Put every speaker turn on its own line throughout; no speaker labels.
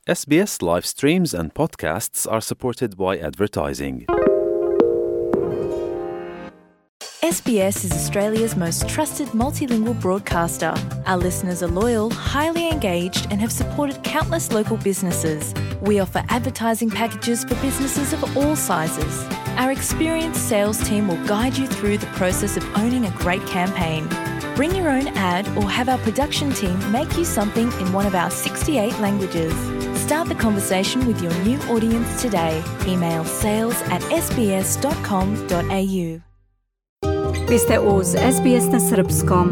SBS live streams and podcasts are supported by advertising.
SBS is Australia's most trusted multilingual broadcaster. Our listeners are loyal, highly engaged, and have supported countless local businesses. We offer advertising packages for businesses of all sizes. Our experienced sales team will guide you through the process of owning a great campaign. Bring your own ad or have our production team make you something in one of our 68 languages. Start the conversation with your new audience today. Email sales@sbs.com.au.
Vi ste uz SBS na srpskom.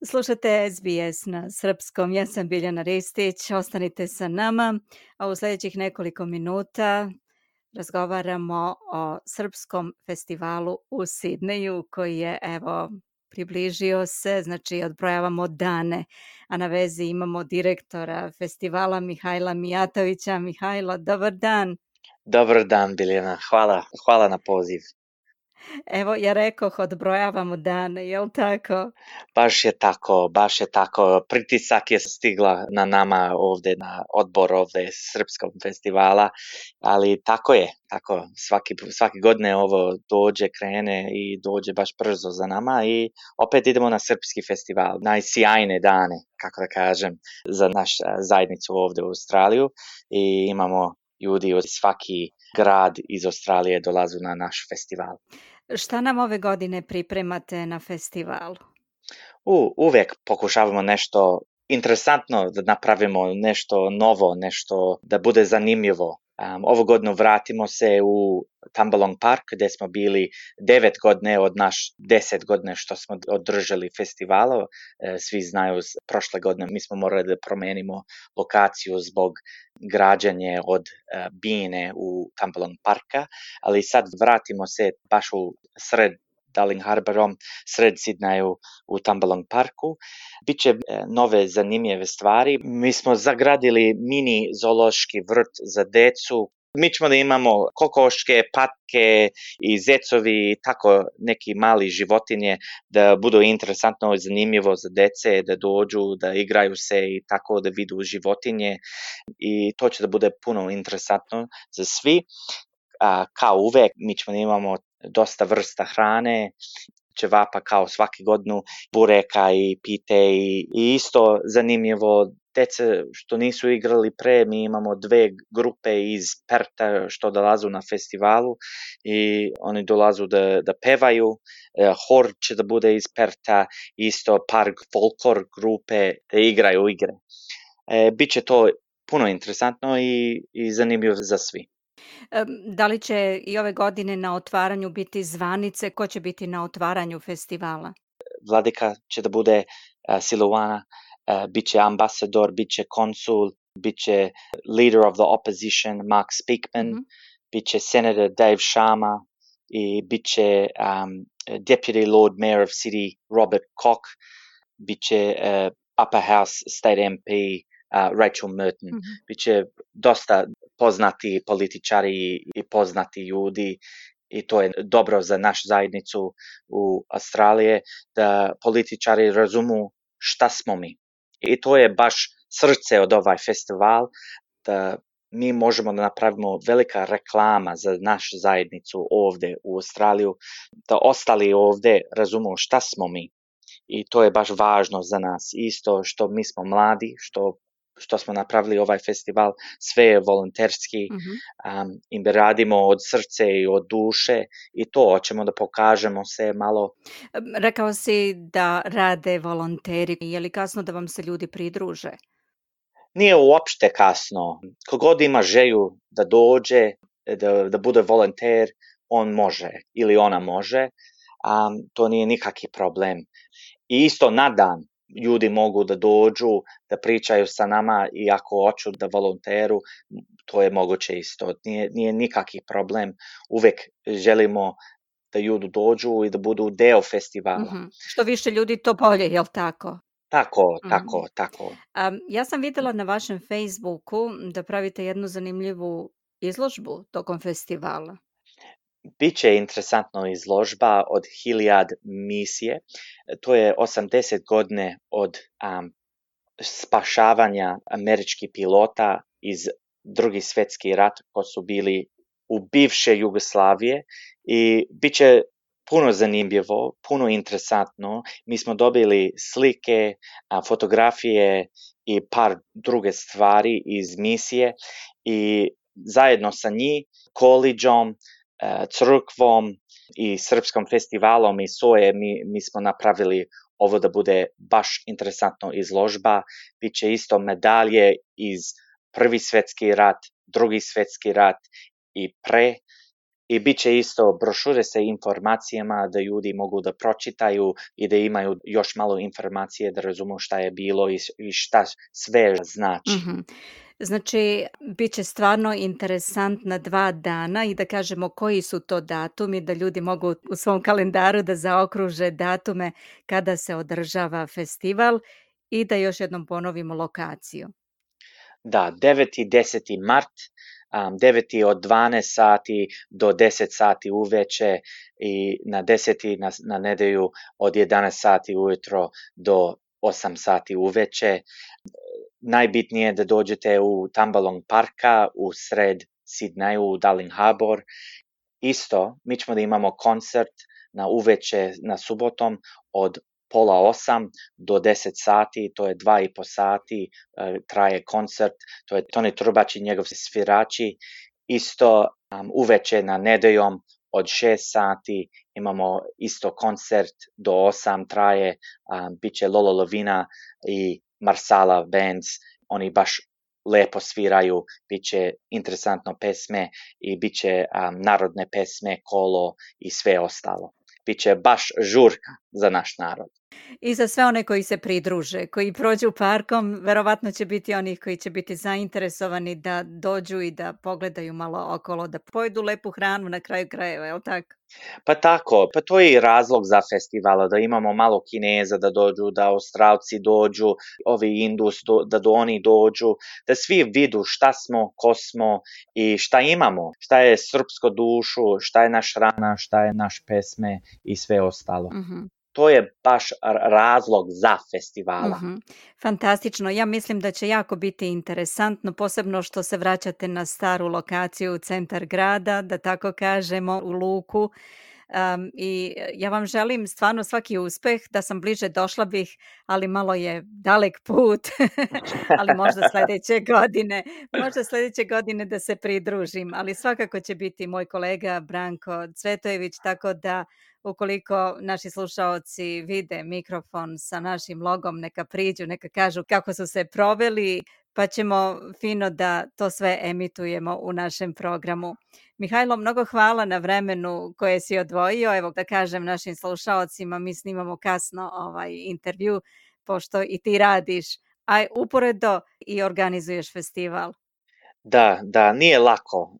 Slušate SBS na srpskom. Ja sam Biljana Ristić. Ostanite sa nama, a u sljedećih nekoliko minuta razgovaramo o srpskom festivalu u Sidneju koji je, približio se, znači odbrojavamo dane, a na vezi imamo direktora festivala Mihajla Mijatovića. Mihajlo, dobar dan.
Dobar dan, Biljana. Hvala na poziv.
Evo, ja rekoh, odbrojavamo dane, jel tako?
Baš je tako. Pritisak je stigla na nama ovdje, na odbor ovdje Srpskog festivala, ali tako je. Svaki godine ovo krene i dođe baš brzo za nama i opet idemo na Srpski festival. Najsjajne dane, kako da kažem, za našu zajednicu ovdje u Australiju i imamo ljudi od svaki grad iz Australije dolazu na naš festival.
Šta nam ove godine pripremate na festivalu?
Uvijek pokušavamo nešto interesantno da napravimo, nešto novo, nešto da bude zanimljivo. Ovu godinu vratimo se u Tambalong Park gdje smo bili 9 godine od naš 10 godine što smo održali festivalu. Svi znaju, prošle godine mi smo morali da promenimo lokaciju zbog građanje od bine u Tambalong Parka, ali sad vratimo se baš u sred Darling Harborom, sred Sidneju u Tambalong Parku. Biće nove zanimljive stvari. Mi smo zagradili mini zoološki vrt za decu. Mi ćemo da imamo kokoške, patke i zecovi, tako neki mali životinje da budu interesantno i zanimljivo za dece, da dođu, da igraju se i tako da vidu životinje i to će da bude puno interesantno za svi. Kao uvek, mi ćemo da imamo dosta vrsta hrane, ćevapa kao svaki godinu, bureka i pite i isto zanimljivo, dece što nisu igrali pre, mi imamo 2 grupe iz Perta što dolazu na festivalu i oni dolazu da pevaju, hor će da bude iz Perta, isto par folklor grupe da igraju igre. Biće to puno interesantno i zanimljivo za svi.
Da li će i ove godine na otvaranju biti zvanice? Ko će biti na otvaranju festivala?
Vladika će da bude Siluana, bit će ambasador, bit će konsul, bit će leader of the opposition Mark Speakman, bit će senator Dave Sharma i bit će deputy lord mayor of city Robert Koch, bit će upper house state MP Rachel Merton. Biće dosta poznati političari i poznati ljudi i to je dobro za našu zajednicu u Australije da političari razumu šta smo mi. I to je baš srce od ovaj festival, da mi možemo da napravimo velika reklama za našu zajednicu ovdje u Australiju, da ostali ovdje razumu šta smo mi. I to je baš važno za nas. Isto što mi smo mladi, što smo napravili ovaj festival, sve je volonterski i mi radimo od srce i od duše i to hoćemo da pokažemo se malo.
Rekao si da rade volonteri. Je li kasno da vam se ljudi pridruže?
Nije uopšte kasno. Kogod ima želju da dođe, da bude volonter, on može ili ona može. To nije nikakvi problem. I isto na dan ljudi mogu da dođu, da pričaju sa nama i ako hoću da volonteru, to je moguće isto. Nije nikakvi problem. Uvek želimo da ljudi dođu i da budu deo festivala.
Što više ljudi, to bolje, jel tako?
Tako.
Ja sam vidjela na vašem Facebooku da pravite jednu zanimljivu izložbu tokom festivala.
Biće interesantna izložba od 1000 misije. To je 80 godine od spašavanja američkih pilota iz Drugi svjetski rat koji su bili u bivše Jugoslavije i bit će puno zanimljivo, puno interesantno. Mi smo dobili slike, fotografije i par druge stvari iz misije i zajedno sa njih, koledžom, crkvom i Srpskom festivalom i SOE mi smo napravili ovo da bude baš interesantno izložba. Biće isto medalje iz Prvi svjetski rat, Drugi svjetski rat i pre. I bit će isto brošure sa informacijama da ljudi mogu da pročitaju i da imaju još malo informacije da razumiju šta je bilo i šta sve znači.
Mhm. Znači, bit će stvarno interesantna 2 dana i da kažemo koji su to datumi, da ljudi mogu u svom kalendaru da zaokruže datume kada se održava festival i da još jednom ponovimo lokaciju.
Da, 9. i 10. mart, 9. od 12 sati do 10 sati uveče i na 10. na nedelju od 11 sati ujutro do 8 sati uveče. Najbitnije je da dođete u Tambalong parka u sred Sidneju u Darling Harbour. Isto, mi ćemo da imamo koncert na uveče na subotom od 7:30 do 10 sati, to je 2,5 sati, traje koncert, to je Toni Trubač i njegov svirači. Isto uveče na nedeljom od 6 sati imamo isto koncert do 8 traje, bit će Lolo Lovina i Marsala Bands, oni baš lepo sviraju, bit će interesantno pesme i bit će narodne pesme, kolo i sve ostalo. Biće baš žurka za naš narod.
I za sve one koji se pridruže, koji prođu parkom, verovatno će biti onih koji će biti zainteresovani da dođu i da pogledaju malo okolo, da pojedu lepu hranu na kraju krajeva, je li tako?
Pa tako, pa to je i razlog za festivala, da imamo malo Kineza da dođu, da Australci dođu, ovi Indus da oni dođu, da svi vidu šta smo, ko smo i šta imamo, šta je srpsko dušu, šta je naš hrana, šta je naš pesme i sve ostalo. To je baš razlog za festivala.
Fantastično. Ja mislim da će jako biti interesantno, posebno što se vraćate na staru lokaciju u centar grada, da tako kažemo, u luku. I ja vam želim stvarno svaki uspeh, da sam bliže došla bih, ali malo je dalek put, ali možda sledeće godine da se pridružim, ali svakako će biti moj kolega Branko Cvetojević, tako da ukoliko naši slušaoci vide mikrofon sa našim logom, neka priđu, neka kažu kako su se proveli, pa ćemo fino da to sve emitujemo u našem programu. Mihajlo, mnogo hvala na vremenu koje si odvojio. Evo da kažem našim slušaocima, mi snimamo kasno ovaj intervju, pošto i ti radiš, a uporedo i organizuješ festival.
Da, nije lako.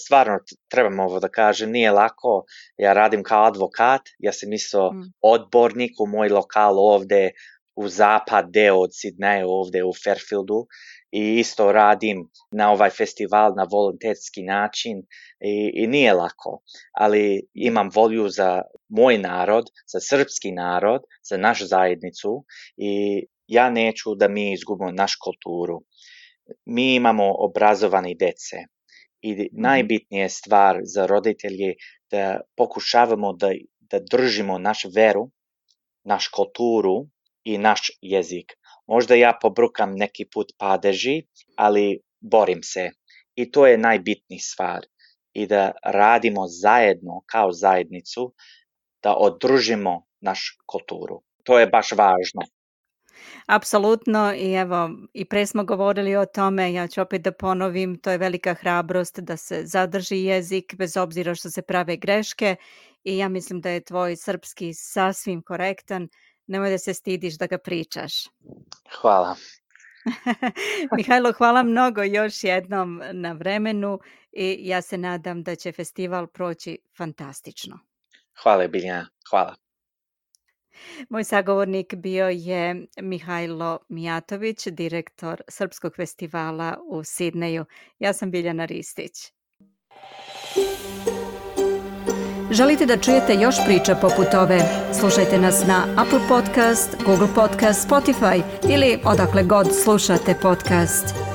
Stvarno trebam ovo da kažem, nije lako. Ja radim kao advokat, ja sam isto odbornik u moj lokal ovde u zapad deo od Sidneja, ovde u Fairfieldu i isto radim na ovaj festival na volonterski način i nije lako, ali imam volju za moj narod, za srpski narod, za našu zajednicu i ja neću da mi izgubimo našu kulturu. Mi imamo obrazovani dece i najbitnija stvar za roditelje da pokušavamo da držimo našu veru, našu kulturu i naš jezik. Možda ja pobrukam neki put padeži, ali borim se. I to je najbitnija stvar. I da radimo zajedno kao zajednicu, da održimo našu kulturu. To je baš važno.
Apsolutno i evo i pre smo govorili o tome, ja ću opet da ponovim, to je velika hrabrost da se zadrži jezik bez obzira što se prave greške i ja mislim da je tvoj srpski sasvim korektan, nemoj da se stidiš da ga pričaš.
Hvala.
Mihajlo, hvala mnogo još jednom na vremenu i ja se nadam da će festival proći fantastično.
Hvala Biljana, hvala.
Moj sagovornik bio je Mihajlo Mijatović, direktor Srpskog festivala u Sidneju. Ja sam Biljana Ristić. Želite da čujete još priča poput ove? Slušajte nas na Apple Podcast, Google Podcast, Spotify ili odakle god slušate podcast.